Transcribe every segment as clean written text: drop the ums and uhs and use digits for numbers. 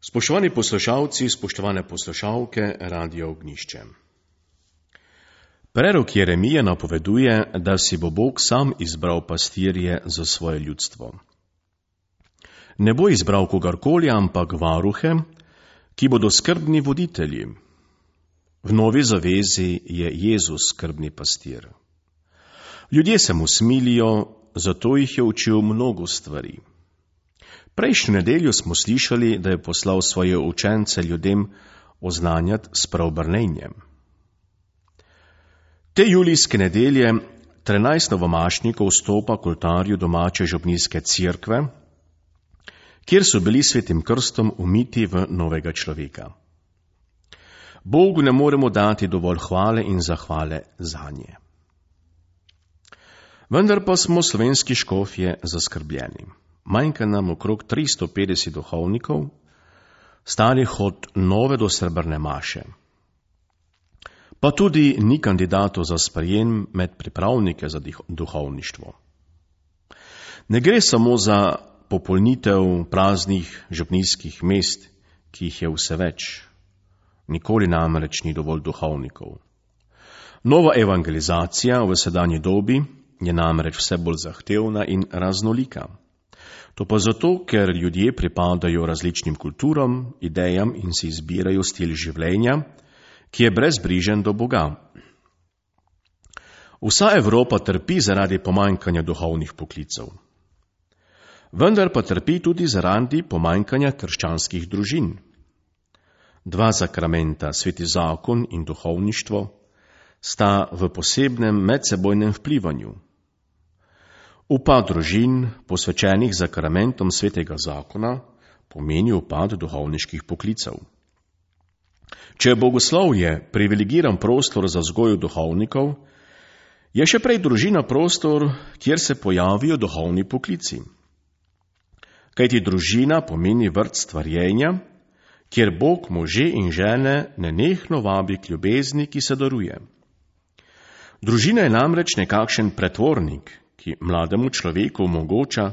Spoštovani poslušalci, spoštovane poslušalke Radia Ognjišče. Prerok Jeremije napoveduje, da si bo Bog sam izbral pastirje za svoje ljudstvo. Ne bo izbral kogarkoli, ampak varuhe, ki bodo skrbni voditelji. V Novi zavezi je Jezus skrbni pastir. Ljudje se mu smilijo, zato jih je učil mnogo stvari. Prejšnjo nedeljo smo slišali, da je poslal svoje učence ljudem oznanjati s preobrnenjem. Te julijske nedelje 13 novomašnikov vstopa k oltarju domače župnijske cerkve, kjer so bili svetim krstom umiti v novega človeka. Bogu ne moremo dati dovolj hvale in zahvale zanje. Vendar pa smo slovenski škofje zaskrbljeni. Manjka nam okrog 350 duhovnikov, starih od nove do srebrne maše. Pa tudi ni kandidatov za sprejem med pripravnike za duhovništvo. Ne gre samo za popolnitev praznih župnijskih mest, ki jih je vse več. Nikoli namreč ni dovolj duhovnikov. Nova evangelizacija v sedanji dobi je namreč vse bolj zahtevna in raznolika. To pa zato, ker ljudje pripadajo različnim kulturam, idejam in si izbirajo stil življenja, ki je brezbrižen do Boga. Vsa Evropa trpi zaradi pomanjkanja duhovnih poklicev. Vendar pa trpi tudi zaradi pomanjkanja krščanskih družin. Dva sakramenta, sveti zakon in duhovništvo, sta v posebnem medsebojnem vplivanju. Upad družin, posvečenih sakramentom svetega zakona, pomeni upad duhovniških poklicev. Če je bogoslovje privilegiran prostor za vzgojo duhovnikov, je še prej družina prostor, kjer se pojavijo duhovni poklici. Kajti družina pomeni vrt stvarjenja, kjer Bog može in žene nenehno vabi k ljubezni, ki se daruje. Družina je namreč nekakšen pretvornik, ki mlademu človeku omogoča,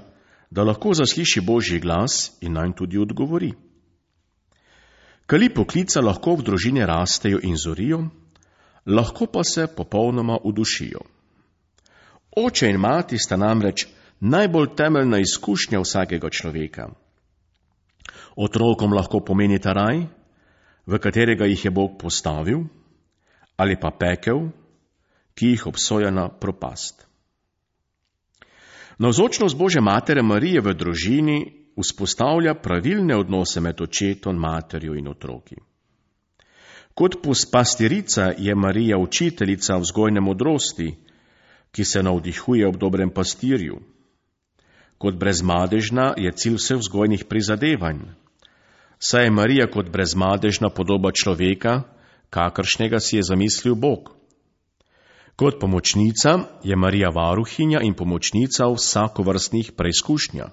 da lahko zasliši Božji glas in nanj tudi odgovori. Kali poklica lahko v družini rastejo in zorijo, lahko pa se popolnoma udušijo. Oče in mati sta namreč najbolj temeljna izkušnja vsakega človeka. Otrokom lahko pomenita raj, v katerega jih je Bog postavil, ali pa pekel, ki jih obsoja na propast. Navzočnost Božje matere Marije v družini vzpostavlja pravilne odnose med očetom, materjo in otroki. Kot pastirica je Marija učiteljica vzgojne modrosti, ki se navdihuje ob dobrem pastirju. Kot brezmadežna je cilj vseh vzgojnih prizadevanj, saj je Marija kot brezmadežna podoba človeka, kakršnega si je zamislil Bog. Kot pomočnica je Marija varuhinja in pomočnica v vsakovrstnih preizkušnjah.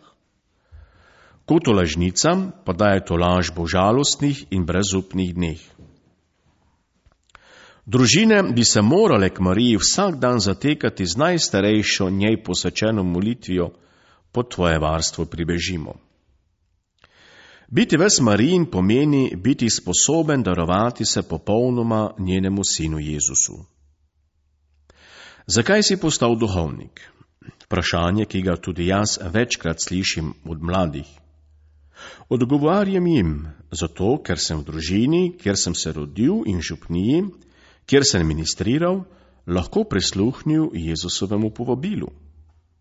Kot tolažnica pa daje tolažbo v žalostnih in brezupnih dneh. Družine bi se morale k Mariji vsak dan zatekati z najstarejšo njej posvečeno molitvijo, pod tvoje varstvo pribežimo. Biti ves Marijin pomeni biti sposoben darovati se popolnoma njenemu sinu Jezusu. Zakaj si postal duhovnik? Vprašanje, ki ga tudi jaz večkrat slišim od mladih. Odgovarjam jim, zato ker sem v družini, kjer sem se rodil in župniji, kjer sem ministriral, lahko prisluhnil Jezusovemu povabilu.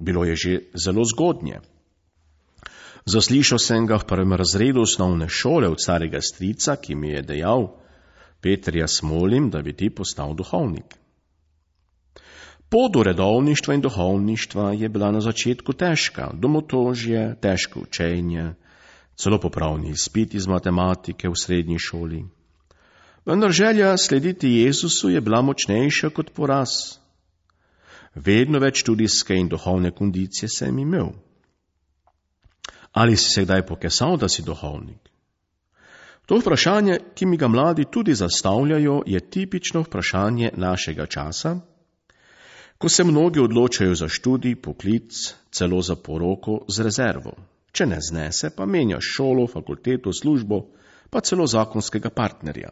Bilo je že zelo zgodnje. Zaslišal sem ga v prvem razredu osnovne šole od starega strica, ki mi je dejal: Peter, jaz molim, da bi ti postal duhovnik. Pot do redovništva in duhovništva je bila na začetku težka, domotožje, težko učenje, celo popravni izpit iz matematike v srednji šoli. Vendar želja slediti Jezusu je bila močnejša kot poraz. Vedno več študijske in duhovne kondicije sem imel. Ali si se kdaj pokesal, da si duhovnik? To vprašanje, ki mi ga mladi tudi zastavljajo, je tipično vprašanje našega časa, ko se mnogi odločajo za študij, poklic, celo za poroko z rezervo. Če ne znese, pa menja šolo, fakulteto, službo pa celo zakonskega partnerja.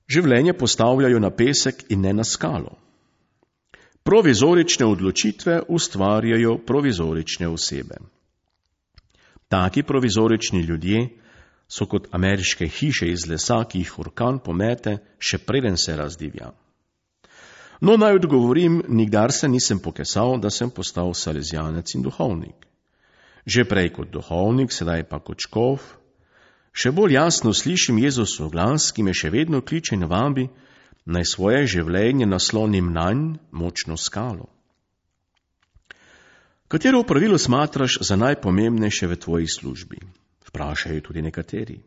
Življenje postavljajo na pesek in ne na skalo. Provizorične odločitve ustvarjajo provizorične osebe. Taki provizorični ljudje so kot ameriške hiše iz lesa, ki jih orkan pomete, še preden se razdivja. No, naj odgovorim, nikdar se nisem pokesal, da sem postal salezijanec in duhovnik. Že prej kot duhovnik, sedaj pa kot škof, še bolj jasno slišim Jezusov glas, ki me še vedno kliče in vabi, naj svoje življenje naslonim nanj močno skalo. Katero opravilo smatraš za najpomembnejše v tvoji službi? Vprašajo tudi nekateri.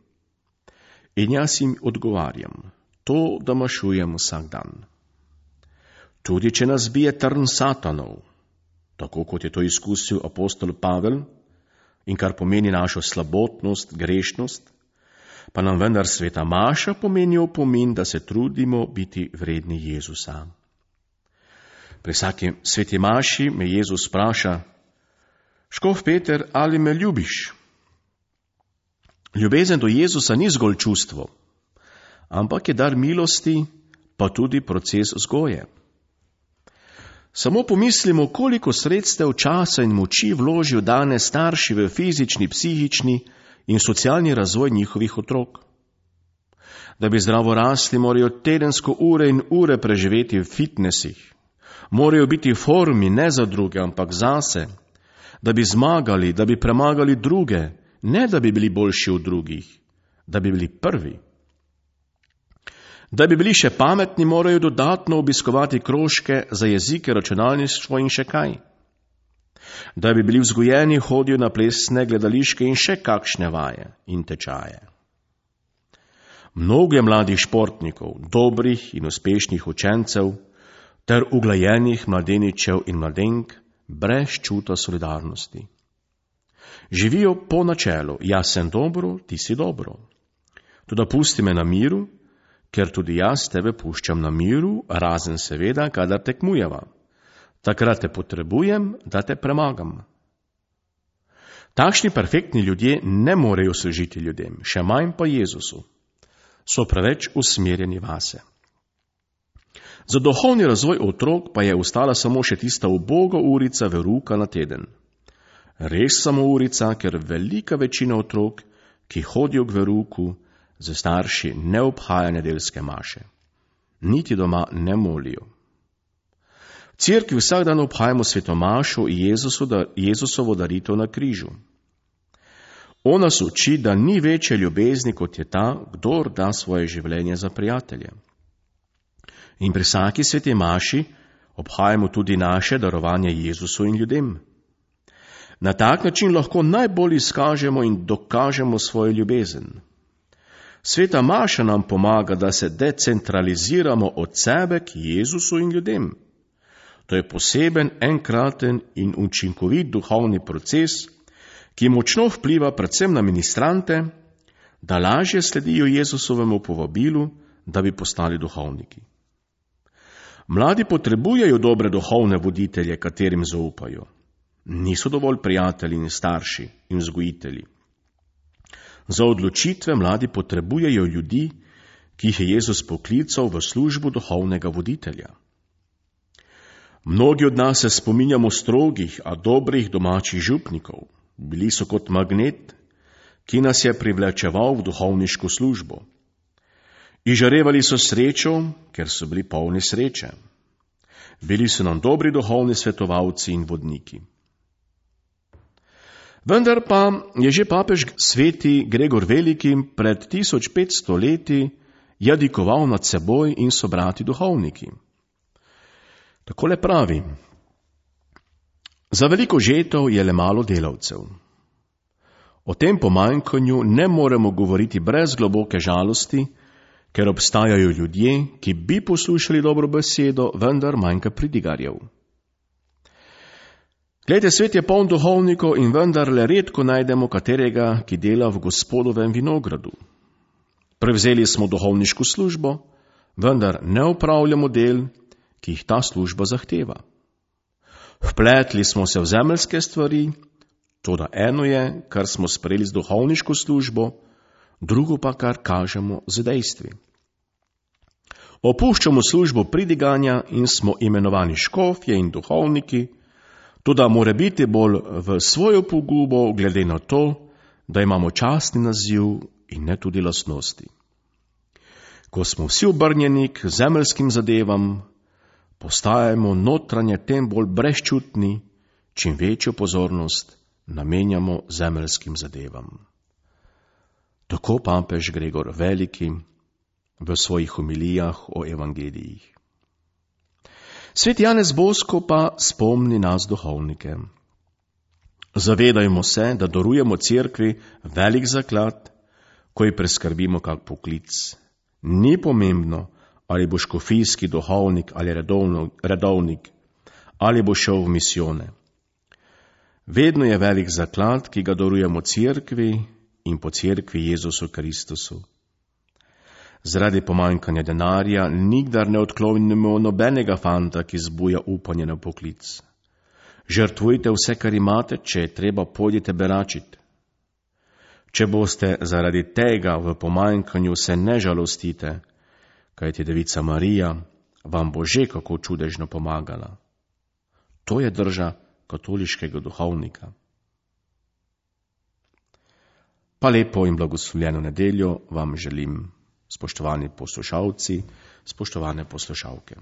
In jaz jim odgovarjam, to, da mašujem vsak dan. Tudi če nas bije trn satanov, tako kot je to izkusil apostol Pavel, in kar pomeni našo slabotnost, grešnost, pa nam vendar sveta maša pomeni opomin, da se trudimo biti vredni Jezusa. Pri vsaki sveti maši me Jezus vpraša, škof Peter, ali me ljubiš? Ljubezen do Jezusa ni zgolj čustvo, ampak je dar milosti, pa tudi proces vzgoje. Samo pomislimo, koliko sredstev, časa in moči vložijo danes starši v fizični, psihični in socialni razvoj njihovih otrok. Da bi zdravo rasli, morajo tedensko ure in ure preživeti v fitnesih. Morajo biti v formi ne za druge, ampak zase. Da bi zmagali, da bi premagali druge, ne da bi bili boljši od drugih, da bi bili prvi. Da bi bili še pametni, morajo dodatno obiskovati krožke za jezike, računalništvo in še kaj. Da bi bili vzgojeni, hodijo na plesne, gledališke in še kakšne vaje in tečaje. Mnogo je mladih športnikov, dobrih in uspešnih učencev, ter uglajenih mladeničev in mladenk brez čuta solidarnosti. Živijo po načelu, jaz sem dobro, ti si dobro. Toda pusti me na miru, ker tudi jaz tebe puščam na miru, razen seveda, kadar tekmujeva. Takrat te potrebujem, da te premagam. Takšni perfektni ljudje ne morejo služiti ljudem, še manj pa Jezusu. So preveč usmerjeni vase. Za duhovni razvoj otrok pa je ostala samo še tista uboga urica veruka na teden. Res samo urica, ker velika večina otrok, ki hodijo k veruku, za starši ne obhaja nedeljske maše. Niti doma ne molijo. V cerkvi vsak dan obhajamo svetomašo Jezusovo daritev na križu. Ona nas uči, da ni večje ljubezni, kot je ta, kdor da svoje življenje za prijatelje. In pri vsaki sveti maši obhajamo tudi naše darovanje Jezusu in ljudem. Na tak način lahko najbolj izkažemo in dokažemo svojo ljubezen. Sveta maša nam pomaga, da se decentraliziramo od sebe k Jezusu in ljudem. To je poseben, enkraten in učinkovit duhovni proces, ki močno vpliva predvsem na ministrante, da lažje sledijo Jezusovemu povabilu, da bi postali duhovniki. Mladi potrebujejo dobre duhovne voditelje, katerim zaupajo. Niso dovolj prijatelji in starši in vzgojitelji. Za odločitve mladi potrebujejo ljudi, ki jih je Jezus poklical v službo duhovnega voditelja. Mnogi od nas se spominjamo strogih, a dobrih domačih župnikov. Bili so kot magnet, ki nas je privlečeval v duhovniško službo. Izžarevali so srečo, ker so bili polni sreče. Bili so nam dobri duhovni svetovalci in vodniki. Vendar pa je že papež sveti Gregor Veliki pred 1500 leti jadikoval nad seboj in sobrati duhovniki. Takole pravi: za veliko žetev je le malo delavcev. O tem pomanjkanju ne moremo govoriti brez globoke žalosti, ker obstajajo ljudje, ki bi poslušali dobro besedo, vendar manjka pridigarjev. Glejte, svet je poln duhovnikov in vendar le redko najdemo katerega, ki dela v Gospodovem vinogradu. Prevzeli smo duhovniško službo, vendar ne opravljamo del, ki jih ta služba zahteva. Vpletli smo se v zemeljske stvari, toda eno je, kar smo sprejeli z duhovniško službo, drugo pa kar kažemo z dejstvi. Opuščamo službo pridiganja in smo imenovani škofje in duhovniki, toda mora biti bolj v svojo pogubo glede na to, da imamo častni naziv in ne tudi lastnosti. Ko smo vsi obrnjeni k zemeljskim zadevam, postajamo notranje tem bolj brezčutni, čim večjo pozornost namenjamo zemeljskim zadevam. Tako papež Gregor Veliki v svojih homilijah o evangelijih. Sveti Janez Bosko pa spomni nas duhovnike. Zavedajmo se, da darujemo cerkvi velik zaklad, ko ji preskrbimo kak poklic. Ni pomembno, ali bo škofijski duhovnik ali redovnik, ali bo šel v misijone. Vedno je velik zaklad, ki ga darujemo cerkvi in po cerkvi Jezusu Kristusu. Zaradi pomanjkanja denarja nikdar ne odklonimo nobenega fanta, ki zbuja upanje na poklic. Žrtvujte vse, kar imate, če je treba, pojdite beračit. Če boste zaradi tega v pomanjkanju, se ne žalostite, kajti Devica Marija vam bo že kako čudežno pomagala. To je drža katoliškega duhovnika. Pa lepo in blagoslovljeno nedeljo vam želim, spoštovani poslušalci, spoštovane poslušalke.